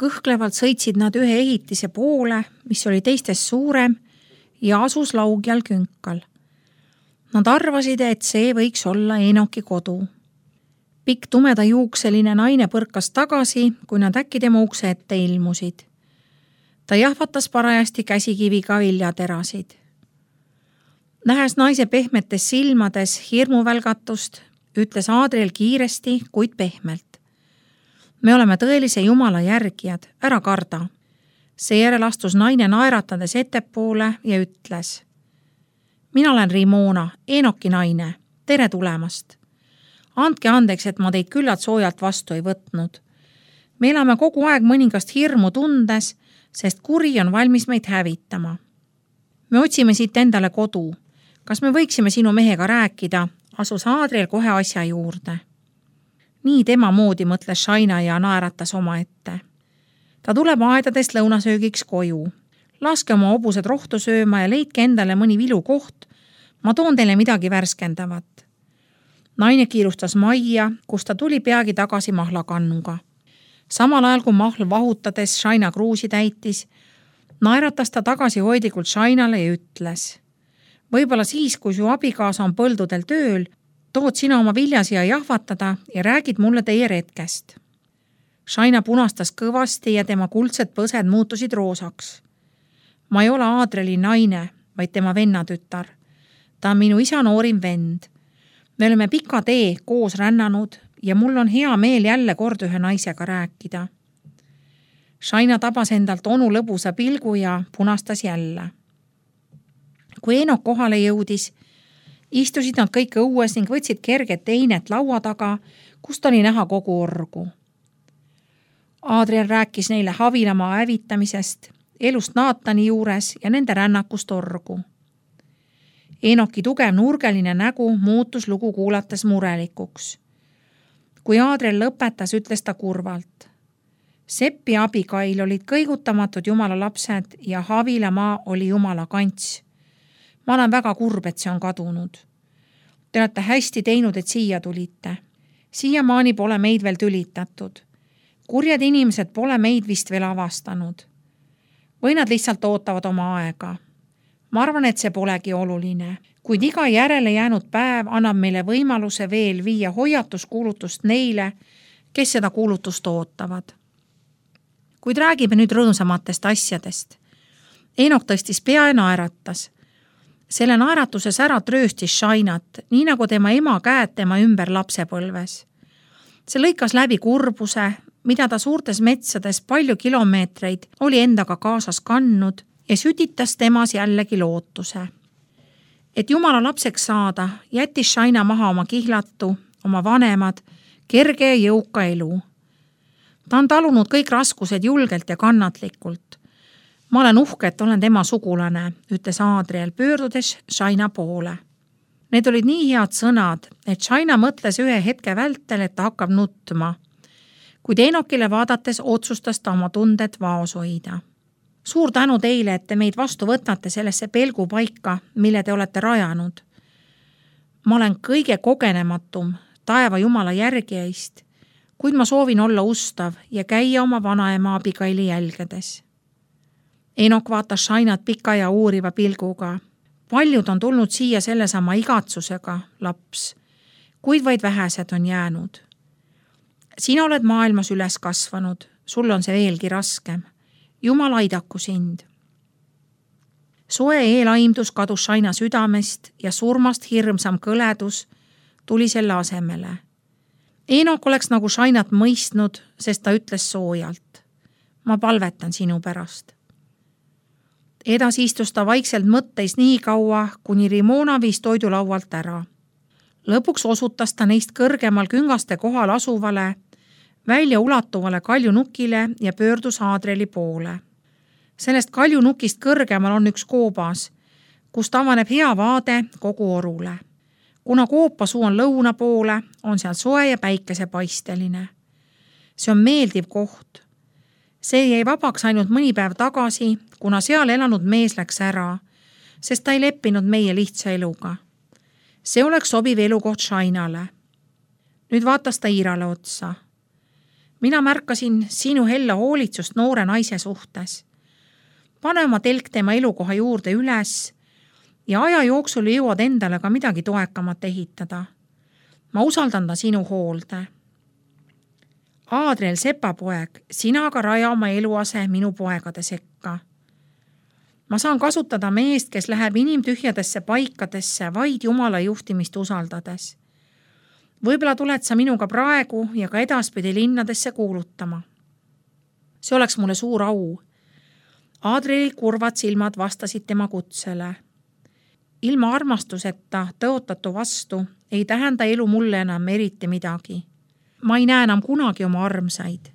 Kõhklevalt sõitsid nad ühe ehitise poole, mis oli teistest suurem ja asus laugjal künkal. Nad arvasid, et see võiks olla Enoki kodu. Pikk tumeda juukseline naine põrkas tagasi, kui nad äkki tema ukse ette ilmusid. Ta jahvatas parajasti käsikiviga viljaterasid. Nähes naise pehmetes silmades hirmuvälgatust, ütles Adriel kiiresti, kuid pehmelt. Me oleme tõelise Jumala järgijad, ära karda. Seejärel astus naine naeratades ettepoole ja ütles: mina olen Rimona, Enoki naine, tere tulemast. Andke andeks, et ma teid küllalt soojalt vastu ei võtnud. Me elame kogu aeg mõningast hirmu tundes, sest kuri on valmis meid hävitama. Me otsime siit endale kodu. Kas me võiksime sinu mehega rääkida? Asus Adriel kohe asja juurde. Nii tema moodi mõtles Shaina ja naeratas oma ette. Ta tuleb aedadest lõunasöögiks koju. Laske oma hobused rohtu sööma ja leidke endale mõni vilukoht. Ma toon teile midagi värskendavat. Naine kiirustas majja, kus ta tuli peagi tagasi mahlakannuga. Samal ajal kui mahl vahutades Shaina kruusi täitis, naeratas ta tagasihoidlikult Shainale ja ütles: võib-olla siis, kui su abikaasa on põldudel tööl, tood sina oma viljasiia jahvatada ja räägid mulle teie retkest. Shaina punastas kõvasti ja tema kuldsed põsed muutusid roosaks. Ma ei ole Adrieli naine, vaid tema vennatütar. Ta on minu isa noorim vend. Me oleme pika tee koos rännanud ja mul on hea meel jälle kord ühe naisega rääkida. Shaina tabas endalt onu lõbusa pilgu ja punastas jälle. Kui Enok kohale jõudis, istusid nad kõik õues ning võtsid kerget teinet laua taga, kust oli näha kogu orgu. Adriel rääkis neile Havilamaa hävitamisest, elust Naatani juures ja nende rännakust orgu. Enoki tugev nurgeline nägu muutus lugu kuulates murelikuks. Kui Adriel lõpetas, ütles ta kurvalt: Seppi abikail olid kõigutamatud Jumala lapsed ja Havilamaa oli Jumala kants. Ma olen väga kurb, et see on kadunud. Te olete hästi teinud, et siia tulite. Siiamaani pole meid veel tülitatud. Kurjad inimesed pole meid vist veel avastanud. Või nad lihtsalt ootavad oma aega. Ma arvan, et see polegi oluline, kuid iga järele jäänud päev annab meile võimaluse veel viia hoiatuskuulutust neile, kes seda kuulutust ootavad. Kuid räägime nüüd rõõmsamatest asjadest. Enok tõstis pea ja naeratas. Selle naeratuses ära trööstis Shainat, nii nagu tema ema käed tema ümber lapsepõlves. See lõikas läbi kurbuse, mida ta suurtes metsades palju kilomeetreid oli endaga kaasas kandnud ja sütitas temas jällegi lootuse. Et Jumala lapseks saada, jättis Shaina maha oma kihlatu, oma vanemad, kerge ja jõuka elu. Ta on talunud kõik raskused julgelt ja kannatlikult. Ma olen uhke, et olen tema sugulane, ütles Adriel pöördudes Shaina poole. Need olid nii head sõnad, et Shaina mõtles ühe hetke vältel, et ta hakkab nutma. Kuid Enokile vaadates otsustas ta oma tunded vaos hoida. Suur tänu teile, et te meid vastu võtate sellesse pelgupaika, mille te olete rajanud. Ma olen kõige kogenematum taeva Jumala järgijaist, kuid ma soovin olla ustav ja käia oma vanaema abikaili jälgedes. Enok vaatas Shainat pika ja uuriva pilguga. Paljud on tulnud siia sellesama igatsusega, laps, kuid vaid vähesed on jäänud. Sina oled maailmas üles kasvanud, sul on see veelgi raskem. Jumal aidaku sind. Soe eelaimdus kadus Shaina südamest ja surmast hirmsam kõledus tuli selle asemele. Enok oleks nagu Shainat mõistnud, sest ta ütles soojalt: ma palvetan sinu pärast. Edasi istus ta vaikselt mõtteis nii kaua, kuni Rimona viis toidulaualt ära. Lõpuks osutas ta neist kõrgemal küngaste kohal asuvale, välja ulatuvale kaljunukile ja pöördus Adrieli poole. Sellest kaljunukist kõrgemal on üks koobas, kust avaneb hea vaade kogu orule. Kuna koopasuu on lõuna poole, on seal soe ja päikesepaisteline. See on meeldiv koht. See jäi vabaks ainult mõni päev tagasi, kuna seal elanud mees läks ära, sest ta ei leppinud meie lihtsa eluga. See oleks sobiv elukoht Shainale. Nüüd vaatas ta Irale otsa. mina märkasin sinu hella hoolitsust noore naise suhtes. Pane oma telk tema elukoha juurde üles ja aja jooksul jõuad endale ka midagi toekamat ehitada. Ma usaldan ta sinu hoolde. Aadriel sepapoeg, sina aga raja oma eluase minu poegade sekka. Ma saan kasutada meest, kes läheb inimtühjadesse paikadesse vaid Jumala juhtimist usaldades. Võib-olla tuled sa minuga praegu ja ka edaspidi linnadesse kuulutama. See oleks mulle suur au. Aadrieli kurvad silmad vastasid tema kutsele. Ilma armastuseta tõotatu vastu ei tähenda elu mulle enam eriti midagi. Ma ei näe enam kunagi oma armsaid.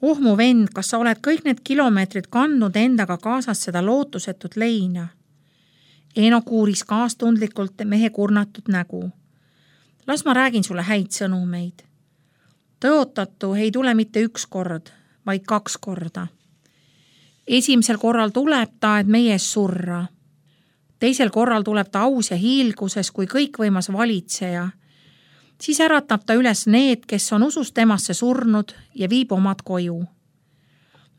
Oh mu vend, kas sa oled kõik need kilomeetrid kandnud endaga kaasas seda lootusetut leina? Eenok uuris kaastundlikult mehe kurnatud nägu. Las ma räägin sulle häid sõnumeid. Tõotatu ei tule mitte üks kord, vaid 2 korda. Esimesel korral tuleb ta, et meie ees surra. Teisel korral tuleb ta aus ja hiilguses kui kõikvõimas valitseja. Siis äratab ta üles need, kes on usus temasse surnud ja viib omad koju.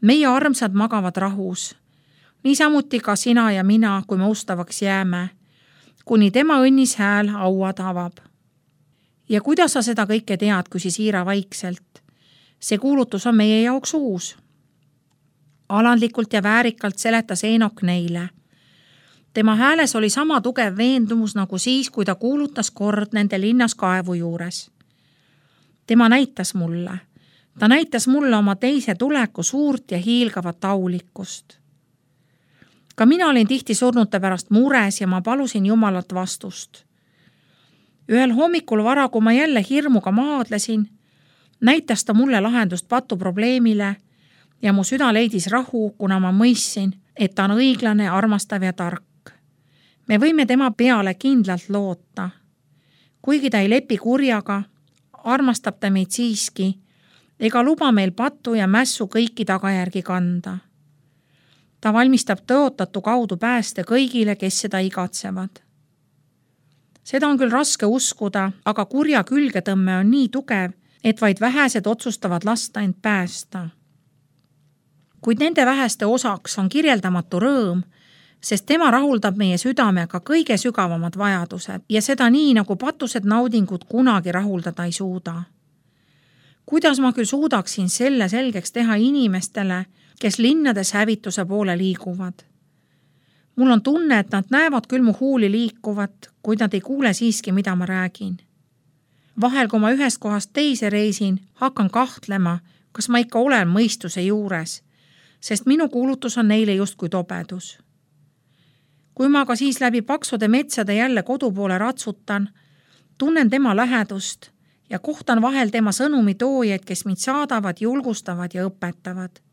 Meie armsad magavad rahus. Niisamuti ka sina ja mina, kui me ustavaks jääme, kuni tema õnnis hääl auad avab. Ja kuidas sa seda kõike tead, küsis Iira vaikselt? See kuulutus on meie jaoks uus. Alandlikult ja väärikalt seletas Eenok neile. Tema hääles oli sama tugev veendumus nagu siis, kui ta kuulutas kord nende linnas kaevu juures. Tema näitas mulle. Ta näitas mulle oma teise tuleku suurt ja hiilgavat aulikkust. Ka mina olin tihti surnute pärast mures ja ma palusin Jumalat vastust. Ühel hommikul vara, kui ma jälle hirmuga maadlesin, näitas ta mulle lahendust patuprobleemile ja mu süda leidis rahu, kuna ma mõistsin, et ta on õiglane, armastav ja tark. Me võime tema peale kindlalt loota. Kuigi ta ei lepi kurjaga, armastab ta meid siiski ega luba meil pattu ja mässu kõiki tagajärgi kanda. Ta valmistab tõotatu kaudu pääste kõigile, kes seda igatsevad. Seda on küll raske uskuda, aga kurja külgetõmme on nii tugev, et vaid vähesed otsustavad lasta end päästa. Kuid nende väheste osaks on kirjeldamatu rõõm, sest tema rahuldab meie südamega kõige sügavamad vajadused ja seda nii, nagu patused naudingud kunagi rahuldada ei suuda. Kuidas ma küll suudaksin selle selgeks teha inimestele, kes linnades hävituse poole liiguvad? Mul on tunne, et nad näevad küll mu huuli liikuvat, kuid nad ei kuule siiski, mida ma räägin. Vahel, kui ma ühest kohast teise reisin, hakkan kahtlema, kas ma ikka olen mõistuse juures, sest minu kuulutus on neile justkui tobedus. Kui ma aga siis läbi paksude metsade jälle kodu poole ratsutan, tunnen tema lähedust ja kohtan vahel tema sõnumi toojaid, kes mind saadavad, julgustavad ja õpetavad.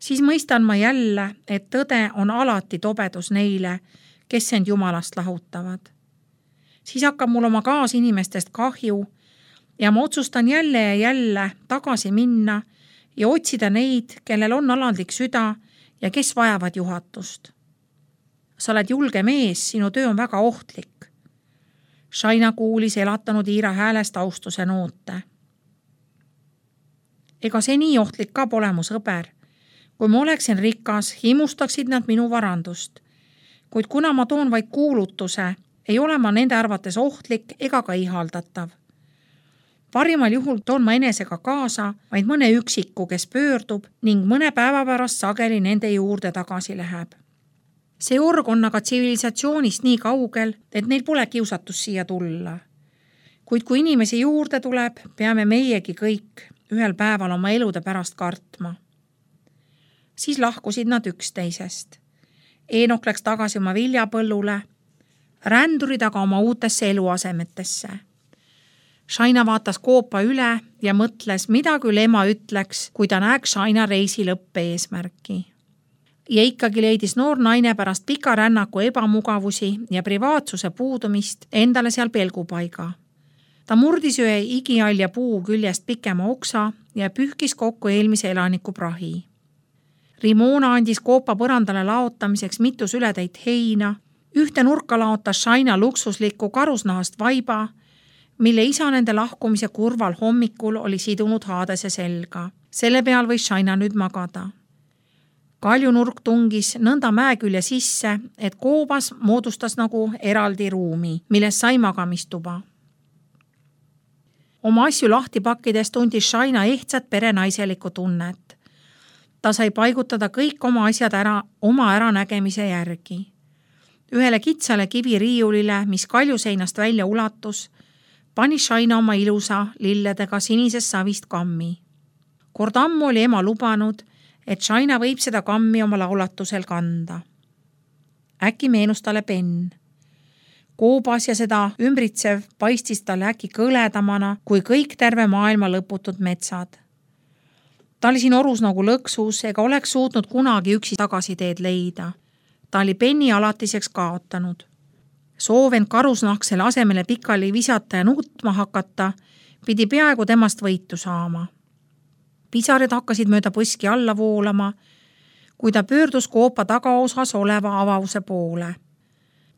Siis mõistan ma jälle, et tõde on alati tobedus neile, kes end Jumalast lahutavad. Siis hakkab mul oma kaasinimestest kahju ja ma otsustan jälle ja jälle tagasi minna ja otsida neid, kellel on alandlik süda ja kes vajavad juhatust. Sa oled julge mees, sinu töö on väga ohtlik. Shaina kuulis elatanud Iira häälest austuse noote. Ega see nii ohtlik ka pole mu sõber. Kui ma oleksin rikas, himustaksid nad minu varandust. Kuid kuna ma toon vaid kuulutuse, ei ole ma nende arvates ohtlik ega ka ihaldatav. Parimal juhul toon ma enesega kaasa vaid mõne üksiku, kes pöördub ning mõne päeva pärast sageli nende juurde tagasi läheb. See org on aga tsivilisatsioonist nii kaugel, et neil pole kiusatus siia tulla. Kuid kui inimesi juurde tuleb, peame meiegi kõik ühel päeval oma elude pärast kartma. Siis lahkusid nad üksteisest. Eenok läks tagasi oma viljapõllule, rändurid aga oma uutesse eluasemetesse. Shaina vaatas koopa üle ja mõtles, mida küll ema ütleks, kui ta näeks Shaina reisi lõppe eesmärki. Ja ikkagi leidis noor naine pärast pika rännaku ebamugavusi ja privaatsuse puudumist endale seal pelgupaiga. Ta murdis ühe igialja puu küljest pikema oksa ja pühkis kokku eelmise elaniku prahi. Rimona andis koopa põrandale laotamiseks mitu sületäit heina, ühte nurka laotas Shaina luksuslikku karusnahast vaiba, mille isa nende lahkumise kurval hommikul oli sidunud haadese selga. Selle peal võis Shaina nüüd magada. Kaljunurk tungis nõnda mäekülje sisse, et koobas moodustas nagu eraldi ruumi, milles sai magamistuba. Oma asju lahti pakkides tundis Shaina ehtsat perenaiselikku tunnet. Ta sai paigutada kõik oma asjad oma äranägemise järgi. Ühele kitsale kiviriiulile, mis kaljuseinast välja ulatus, pani Shaina oma ilusa lilledega sinisest savist kammi. Kord ammu oli ema lubanud, et Shaina võib seda kammi oma laulatusel kanda. Äkki meenus talle penn. Koobas ja seda ümbritsev paistis talle äkki kõledamana kui kõik terve maailma lõputud metsad. Ta oli siin orus nagu lõksus ega oleks suutnud kunagi üksi tagasiteed leida. Ta oli penni alatiseks kaotanud. Soovend karusnahk selle asemele pikali visata ja nutma hakata, pidi peaaegu temast võitu saama. Pisared hakkasid mööda põski alla voolama, kui ta pöördus koopa tagaosas oleva avause poole.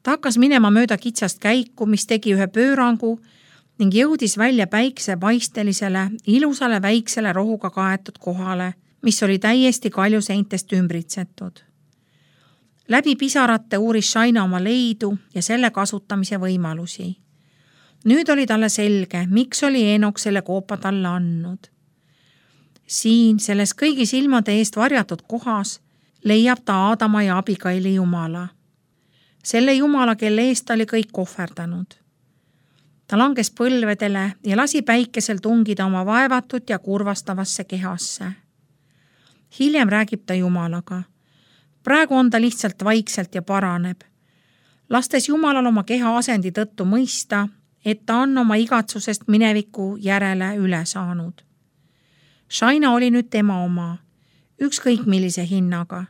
Ta hakkas minema mööda kitsast käiku, mis tegi ühe pöörangu ning jõudis välja päiksepaistelisele, ilusale väiksele rohuga kaetud kohale, mis oli täiesti kaljuseintest ümbritsetud. Läbi pisarate uuris Shaina oma leidu ja selle kasutamise võimalusi. Nüüd oli talle selge, miks oli Eenok selle koopa talle andnud. Siin, selles kõigi silmade eest varjatud kohas, leiab ta Aadama ja Abigaili Jumala. Selle Jumala, kelle eest ta oli kõik ohverdanud. Ta langes põlvedele ja lasi päikesel tungida oma vaevatut ja kurvastavasse kehasse. Hiljem räägib ta Jumalaga. Praegu on ta lihtsalt vaikselt ja paraneb. Lastes Jumalal oma keha asendi tõttu mõista, et ta on oma igatsusest mineviku järele üle saanud. Shaina oli nüüd tema oma, ükskõik millise hinnaga.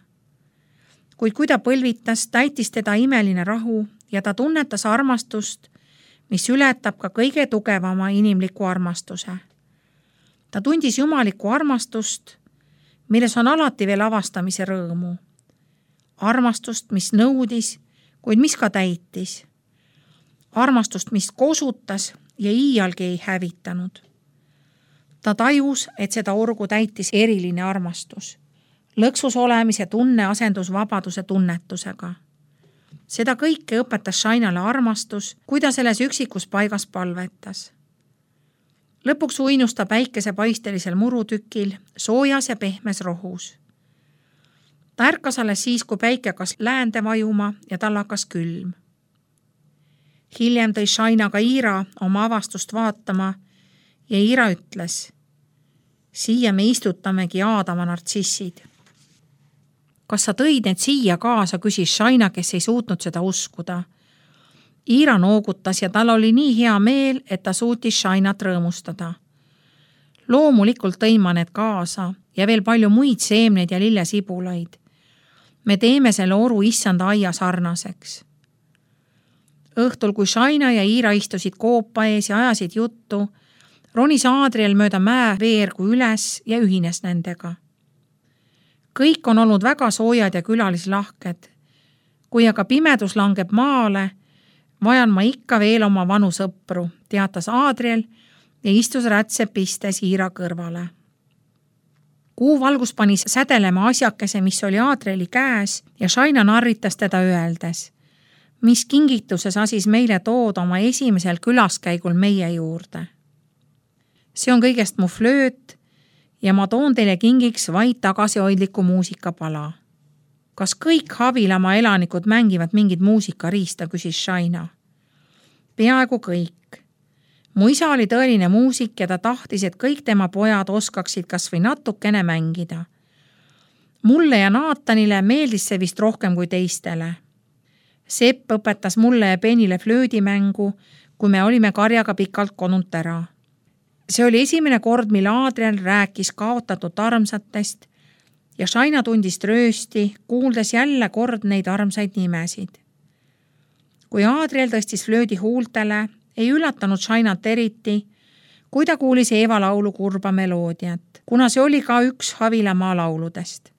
Kuid kui ta põlvitas, täitis teda imeline rahu ja ta tunnetas armastust, mis ületab ka kõige tugevama inimliku armastuse. Ta tundis jumalikku armastust, milles on alati veel avastamise rõõmu. Armastust, mis nõudis, kuid mis ka täitis. Armastust, mis kosutas ja iialgi ei hävitanud. Ta tajus, et seda orgu täitis eriline armastus. Lõksus olemise tunne asendus vabaduse tunnetusega. Seda kõike õpetas Shainale armastus, kui ta selles üksikus paigas palvetas. Lõpuks uinus ta päikesepaistelisel murutükil, soojas ja pehmes rohus. Ta ärkas alles siis, kui päike hakkas läände vajuma ja tal hakkas külm. Hiljem tõi Shaina ka Iira oma avastust vaatama ja Iira ütles: siia me istutamegi Aadama nartsissid. Kas sa tõid need siia kaasa, küsis Shaina, kes ei suutnud seda uskuda. Iira noogutas ja tal oli nii hea meel, et ta suutis Shainat rõõmustada. Loomulikult tõin ma need kaasa ja veel palju muid seemneid ja lillesibulaid. Me teeme selle oru issanda aia sarnaseks. Õhtul, kui Shaina ja Iira istusid koopa ees ja ajasid juttu, ronis Aadriel mööda mäe veergu üles ja ühines nendega. Kõik on olnud väga soojad ja külalislahked. Kui aga pimedus langeb maale, vajan ma ikka veel oma vanu sõpru, teatas Aadriel ja istus rätse pistes Iira kõrvale. Kuu valgus pani sädelema asjakese, mis oli Aadrieli käes ja Shaina narritas teda öeldes: mis kingituses asis meile tooda oma esimesel külaskäigul meie juurde. See on kõigest mu flööt ja ma toon teile kingiks vaid tagasihoidliku muusikapala. Kas kõik Havilamaa elanikud mängivad mingit muusikariista, küsis Shaina. Peaaegu kõik. Mu isa oli tõeline muusik ja ta tahtis, et kõik tema pojad oskaksid kas või natukene mängida. Mulle ja Naatanile meeldis see vist rohkem kui teistele. Sepp õpetas mulle ja Penile flöödimängu, kui me olime karjaga pikalt kodunt ära. See oli esimene kord, mil Aadriel rääkis kaotatud armsatest ja Shaina tundis tröösti, kuuldes jälle kord neid armsaid nimesid. Kui Aadriel tõstis flöödi huultele, ei üllatanud Shainat eriti, kui ta kuulis Eeva laulu kurba meloodiat, kuna see oli ka üks Havilamaa lauludest.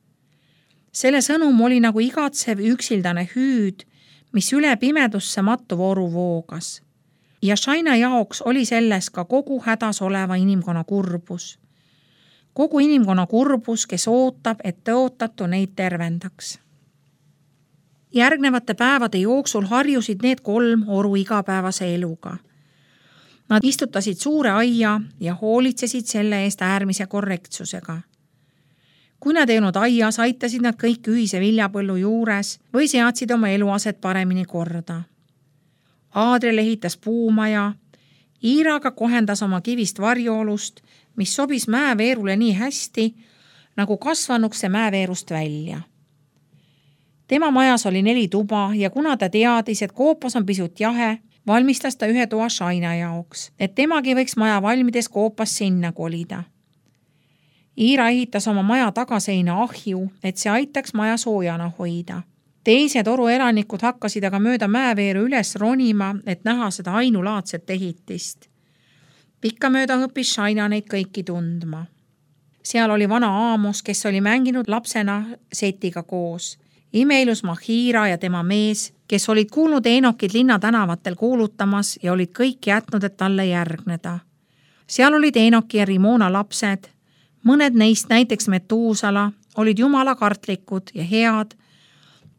Selle sõnum oli nagu igatsev üksildane hüüd, mis üle pimedusse mattuv oru voogas. Ja Shaina jaoks oli selles ka kogu hädas oleva inimkonna kurbus. Kogu inimkonna kurbus, kes ootab, et tõotatu neid tervendaks. Järgnevate päevade jooksul harjusid need 3 oru igapäevase eluga. Nad istutasid suure aia ja hoolitsesid selle eest äärmise korrektsusega. Kui nad ei olnud aias, aitasid nad kõik ühise viljapõllu juures või seadsid oma eluaset paremini korda. Aadriel ehitas puumaja, Iiraga kohendas oma kivist varjoolust, mis sobis mäeveerule nii hästi, nagu kasvanuks see mäeveerust välja. Tema majas oli 4 tuba ja kuna ta teadis, et koopas on pisut jahe, valmistas ta 1 toa Shaina jaoks, et temagi võiks maja valmides koopas sinna kolida. Iira ehitas oma maja tagaseina ahju, et see aitaks maja soojana hoida. Teised oru elanikud hakkasid aga mööda mäeveeru üles ronima, et näha seda ainulaadset ehitist. Pikkamööda õppis Shaina neid kõiki tundma. Seal oli vana Aamos, kes oli mänginud lapsena Setiga koos. Imeilus Mahira ja tema mees, kes olid kuulnud Enokid linna tänavatel kuulutamas ja olid kõik jätnud, et talle järgneda. Seal olid Enoki ja Rimona lapsed. Mõned neist, näiteks Metuusala, olid jumala kartlikud ja head,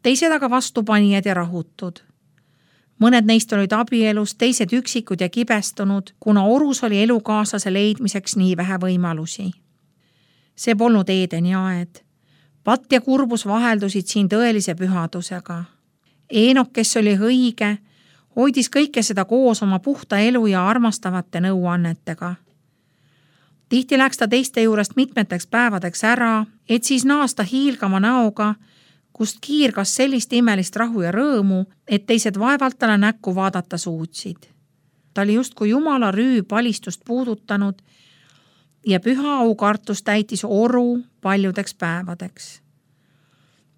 teised aga vastupanijad ja rahutud. Mõned neist olid abielus, teised üksikud ja kibestunud, kuna orus oli elukaaslase leidmiseks nii vähe võimalusi. See polnud Eedeni aed. Patt ja kurbus vaheldusid siin tõelise pühadusega. Enok, kes oli õige, hoidis kõike seda koos oma puhta elu ja armastavate nõuannetega. Tihti läks ta teiste juurest mitmeteks päevadeks ära, et siis naasta hiilgama näoga, kust kiirgas sellist imelist rahu ja rõõmu, et teised vaevalt talle näkku vaadata suutsid. Ta oli justkui jumala rüüb valistust puudutanud ja püha aukartus täitis oru paljudeks päevadeks.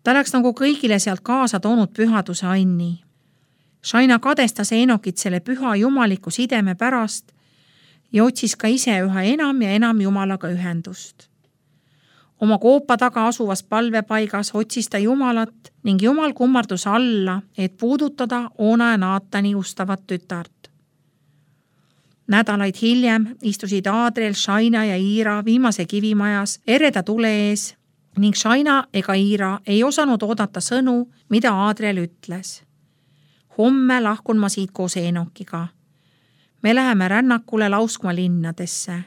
Ta läks nagu kõigile sealt kaasa toonud pühaduse anni. Shaina kadestas Enokit selle püha jumaliku sideme pärast ja otsis ka ise üha enam ja enam jumalaga ühendust. Oma koopa taga asuvas palvepaigas otsis ta jumalat ning jumal kummardus alla, et puudutada Oona ja Naatani ustavat tütart. Nädalaid hiljem istusid Aadriel, Shaina ja Iira viimase kivimajas ereda tule ees ning Shaina ega Iira ei osanud oodata sõnu, mida Aadriel ütles. Homme lahkun ma siit koos Enokiga. Me läheme rännakule lauskma linnadesse.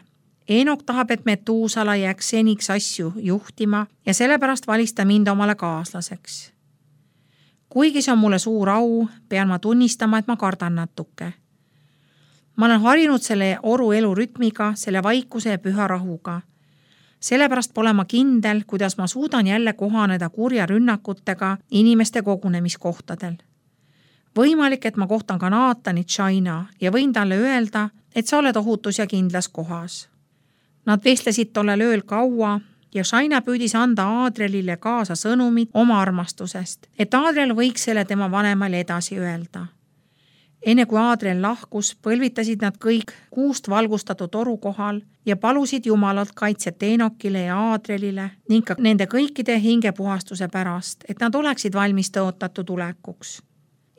Enok tahab, et Metuusala jääks seniks asju juhtima ja sellepärast valis ta mind omale kaaslaseks. Kuigi see on mulle suur au, pean ma tunnistama, et ma kardan natuke. Ma olen harjunud selle oru elu rütmiga, selle vaikuse ja püha rahuga. Sellepärast pole ma kindel, kuidas ma suudan jälle kohaneda kurja rünnakutega inimeste kogunemiskohtadel. Võimalik, et ma kohtan ka Naatanit Shaina ja võin talle öelda, et sa oled ohutus ja kindlas kohas. Nad vestlesid tollel ööl kaua ja Shaina püüdis anda Aadrielile kaasa sõnumit oma armastusest, et Aadriel võiks selle tema vanemale edasi öelda. Enne kui Aadriel lahkus, põlvitasid nad kõik kuust valgustatud oru kohal ja palusid jumalalt kaitset Enokile ja Aadrielile ning ka nende kõikide hingepuhastuse pärast, et nad oleksid valmis tõotatud tulekuks.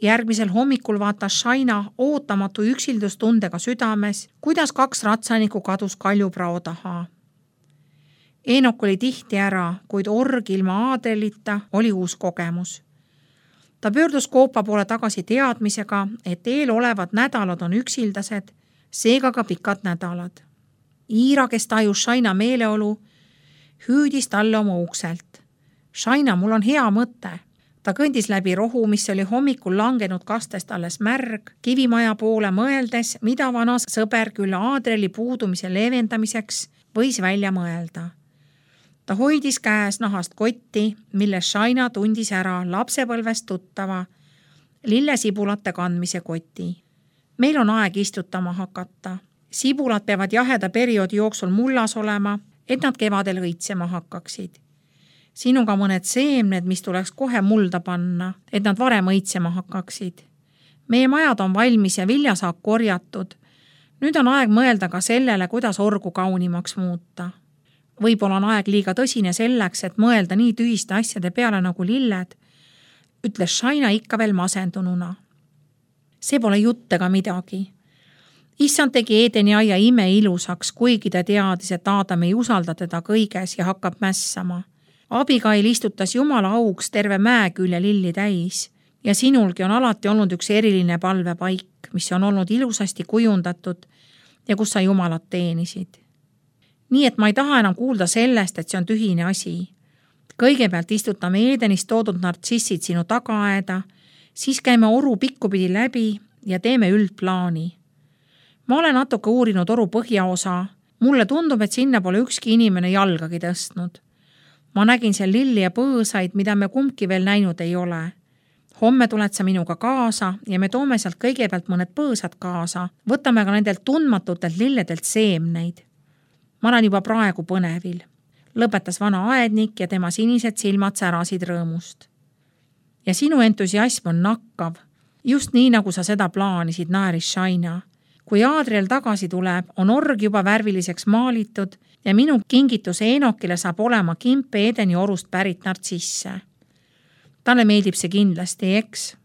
Järgmisel hommikul vaatas Shaina ootamatu üksildustundega südames, kuidas 2 ratsanikku kadus kaljuprao taha. Enok oli tihti ära, kuid org ilma Aadrielita oli uus kogemus. Ta pöördus koopa poole tagasi teadmisega, et eelolevad nädalad on üksildased, seega ka pikad nädalad. Iira, kes tajus Shaina meeleolu, hüüdis talle oma ukselt. Shaina, mul on hea mõte. Ta kõndis läbi rohu, mis oli hommikul langenud kastest alles märg, kivimaja poole mõeldes, mida vana sõber küll Aadrieli puudumise leevendamiseks võis välja mõelda. Ta hoidis käes nahast kotti, milles Shaina tundis ära lapsepõlvest tuttava lillesibulate kandmise koti. Meil on aeg istutama hakata. Sibulad peavad jaheda perioodi jooksul mullas olema, et nad kevadel õitsema hakkaksid. Siin on ka mõned seemned, mis tuleks kohe mulda panna, et nad varem õitsema hakkaksid. Meie majad on valmis ja viljasaak korjatud. Nüüd on aeg mõelda ka sellele, kuidas orgu kaunimaks muuta. Võib-olla on aeg liiga tõsine selleks, et mõelda nii tühiste asjade peale nagu lilled, ütles Shaina ikka veel masendununa. See pole jutt ega midagi. Issand tegi Eedeni aia imeilusaks, kuigi ta teadis, et Aadam ei usalda teda kõiges ja hakkab mässama. Abigail istutas Jumala auks terve mäekülje lilli täis ja sinulgi on alati olnud üks eriline palvepaik, mis on olnud ilusasti kujundatud ja kus sa Jumalat teenisid. Nii et ma ei taha enam kuulda sellest, et see on tühine asi. Kõigepealt istutame Eedenist toodud nartsissid sinu tagaaeda, siis käime oru pikkupidi läbi ja teeme üldplaani. Ma olen natuke uurinud oru põhjaosa. Mulle tundub, et sinna pole ükski inimene jalgagi tõstnud. Ma nägin seal lilli ja põõsaid, mida me kumbki veel näinud ei ole. Homme tuled sa minuga kaasa ja me toome sealt kõigepealt mõned põõsad kaasa. Võtame ka nendelt tundmatutelt lilledelt seemneid. Ma olen juba praegu põnevil. Lõpetas vana aednik ja tema sinised silmad särasid rõõmust. Ja sinu entusiasm on nakkav. Just nii, nagu sa seda plaanisid, naeris Shaina. Kui Adriel tagasi tuleb, on org juba värviliseks maalitud ja minu kingitus Eenokile saab olema kimp Eedeni orust pärit nartsisse. Talle meeldib see kindlasti, eks?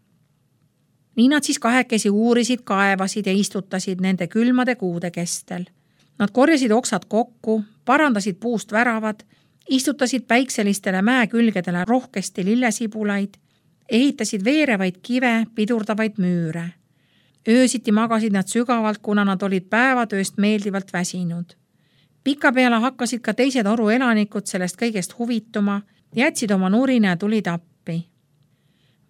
Nii nad siis kahekesi uurisid, kaevasid ja istutasid nende külmade kuude kestel. Nad korjasid oksad kokku, parandasid puust väravad, istutasid päikselistele mäekülgedele rohkesti lillesibulaid, ehitasid veerevaid kive, pidurdavaid müüre. Öösiti magasid nad sügavalt, kuna nad olid päevatööst meeldivalt väsinud. Pika peale hakkasid ka teised oru elanikud sellest kõigest huvituma, jätsid oma nurina ja tulid appi.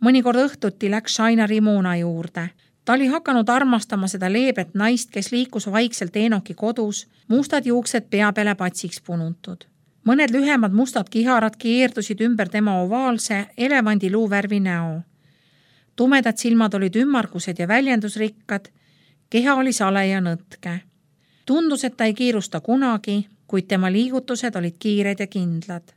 Mõnikord õhtuti läks Shaina Rimona juurde. Ta oli hakanud armastama seda leebet naist, kes liikus vaikselt Eenoki kodus, mustad juuksed pea peale patsiks punutud. Mõned lühemad mustad kiharad keerdusid ümber tema ovaalse elevandiluu värvi näo. Tumedad silmad olid ümmargused ja väljendusrikkad, keha oli sale ja nõtke. Tundus, et ta ei kiirusta kunagi, kuid tema liigutused olid kiired ja kindlad.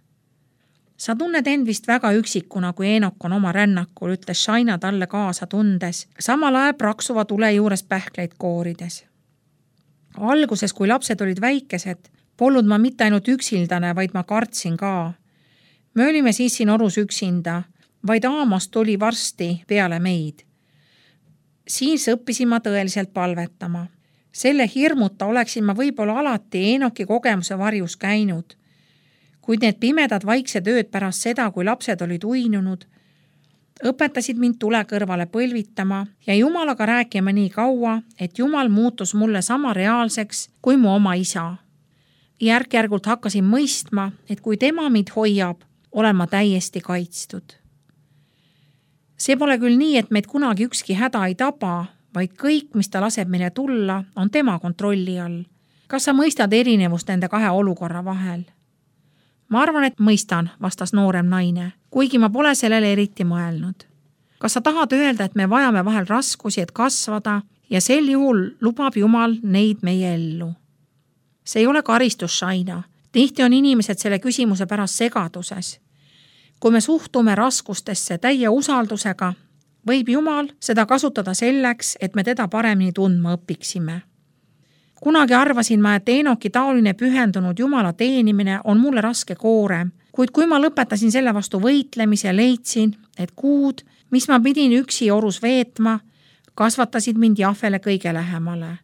Sa tunned end vist väga üksikuna, kui Eenok on oma rännakul, ütles Shaina talle kaasa tundes, samal ajal praksuva tule juures pähkleid koorides. Alguses, kui lapsed olid väikesed, polnud ma mitte ainult üksildane, vaid ma kartsin ka. Me olime siis siin orus üksinda, vaid Aamos tuli varsti peale meid. Siis õppisin ma tõeliselt palvetama. Selle hirmuta oleksin ma võib-olla alati Eenoki kogemuse varjus käinud. Kuid need pimedad vaiksed ööd pärast seda, kui lapsed olid uinunud, õpetasid mind tule kõrvale põlvitama ja Jumalaga rääkima nii kaua, et Jumal muutus mulle sama reaalseks kui mu oma isa. Järk-järgult hakkasin mõistma, et kui tema mind hoiab, olen ma täiesti kaitstud. See pole küll nii, et meid kunagi ükski häda ei taba, vaid kõik, mis ta laseb meile tulla, on tema kontrolli all. Kas sa mõistad erinevust nende kahe olukorra vahel? Ma arvan, et mõistan, vastas noorem naine, kuigi ma pole sellele eriti mõelnud. Kas sa tahad öelda, et me vajame vahel raskusi, et kasvada ja sel juhul lubab Jumal neid meie ellu? See ei ole karistus, Shaina. Tihti on inimesed selle küsimuse pärast segaduses. Kui me suhtume raskustesse täie usaldusega, võib Jumal seda kasutada selleks, et me teda paremini tundma õpiksime. Kunagi arvasin ma, et Eenoki taoline pühendunud Jumala teenimine on mulle raske koorem, kuid kui ma lõpetasin selle vastu võitlemise, leidsin, et kuud, mis ma pidin üksi orus veetma, kasvatasid mind Jahvele kõige lähemale.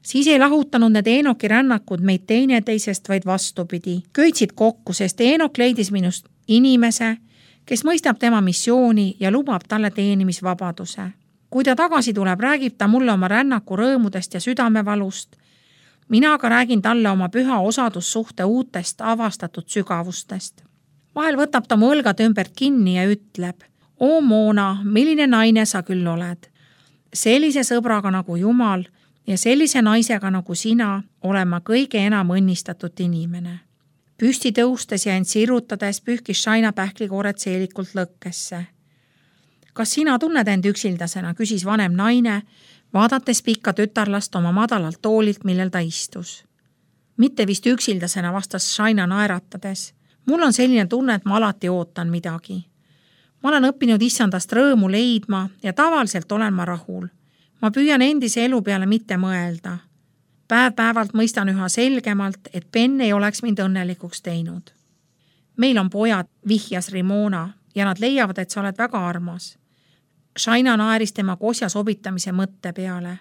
Siis ei lahutanud need Eenoki rännakud meid teineteisest, vaid vastupidi. Köitsid kokku, sest Eenok leidis minust inimese, kes mõistab tema missiooni ja lubab talle teenimisvabaduse. Kui ta tagasi tuleb, räägib ta mulle oma rännaku rõõmudest ja südamevalust. Mina aga räägin talle oma püha osadussuhte uutest avastatud sügavustest. Vahel võtab ta mu õlgad ümbert kinni ja ütleb, "O Moona, milline naine sa küll oled? Sellise sõbraga nagu Jumal ja sellise naisega nagu sina olen ma kõige enam õnnistatud inimene." Püsti tõustes ja end sirutades pühkis Shaina pähklikoored seelikult lõkkesse. Kas sina tunned end üksildasena, küsis vanem naine, vaadates pikka tütarlast oma madalalt toolilt, millel ta istus. Mitte vist üksildasena, vastas Shaina naeratades. Mul on selline tunne, et ma alati ootan midagi. Ma olen õppinud issandast rõõmu leidma ja tavaliselt olen ma rahul. Ma püüan endise elu peale mitte mõelda. Päev-päevalt mõistan üha selgemalt, et Ben ei oleks mind õnnelikuks teinud. Meil on pojad, vihjas Rimona, ja nad leiavad, et sa oled väga armas. Shaina naeris tema kosja sobitamise mõtte peale.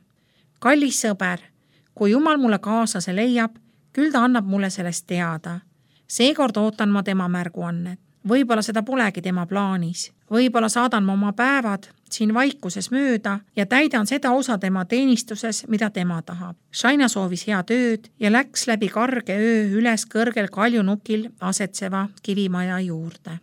kallis sõber, kui Jumal mulle kaaslase leiab, küll ta annab mulle sellest teada. Seekord ootan ma tema märguannet. Võib-olla seda polegi tema plaanis. Võib-olla saadan ma oma päevad siin vaikuses mööda ja täidan seda osa tema teenistuses, mida tema tahab. Shaina soovis head ööd ja läks läbi karge öö üles kõrgel kaljunukil asetseva kivimaja juurde.